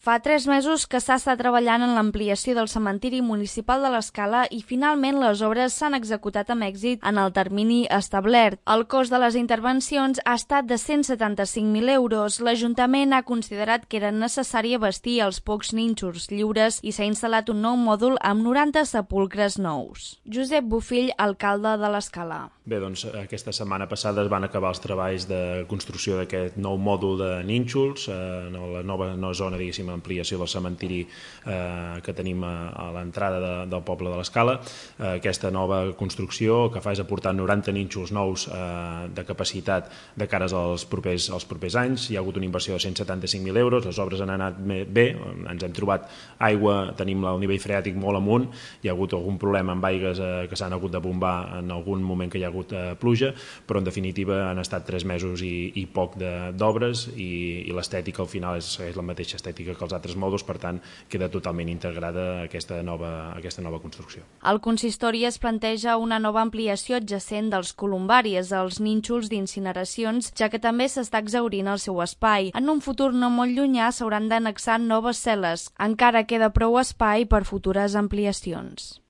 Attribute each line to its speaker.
Speaker 1: Fa 3 mesos que s'està treballant en l'ampliació del cementiri municipal de l'Escala i finalment les obres s'han executat amb èxit en el termini establert. El cost de les intervencions ha estat de 175.000 euros. L'Ajuntament ha considerat que era necessari abastir els pocs nínxols lliures i s'ha instal·lat un nou mòdul amb 90 sepulcres nous. Josep Bofill, alcalde de l'Escala.
Speaker 2: Bé, doncs aquesta setmana passada es van acabar els treballs de construcció d'aquest nou mòdul de nínxols, la nova zona, diguéssim, ampliació del cementiri que tenim a l'entrada del poble de l'Escala. Aquesta nova construcció el que fa és aportar 90 nínxols nous de capacitat de cares als propers anys. Hi ha hagut una inversió de 175.000 euros, les obres han anat bé, ens hem trobat aigua, tenim el nivell freàtic molt amunt, hi ha hagut algun problema amb aigues que s'han hagut de bombar en algun moment que hi ha hagut pluja, però en definitiva han estat 3 mesos i poc d'obres i l'estètica al final és la mateixa estètica que els altres mòduls, per tant queda totalment integrada aquesta nova construcció.
Speaker 1: El consistori es planteja una nova ampliació adjacent dels columbaris, els nínxols d'incineracions, ja que també s'està exhaurint el seu espai. En un futur no molt llunyà s'hauran d'annexar noves cel·les. Encara queda prou espai per futures ampliacions.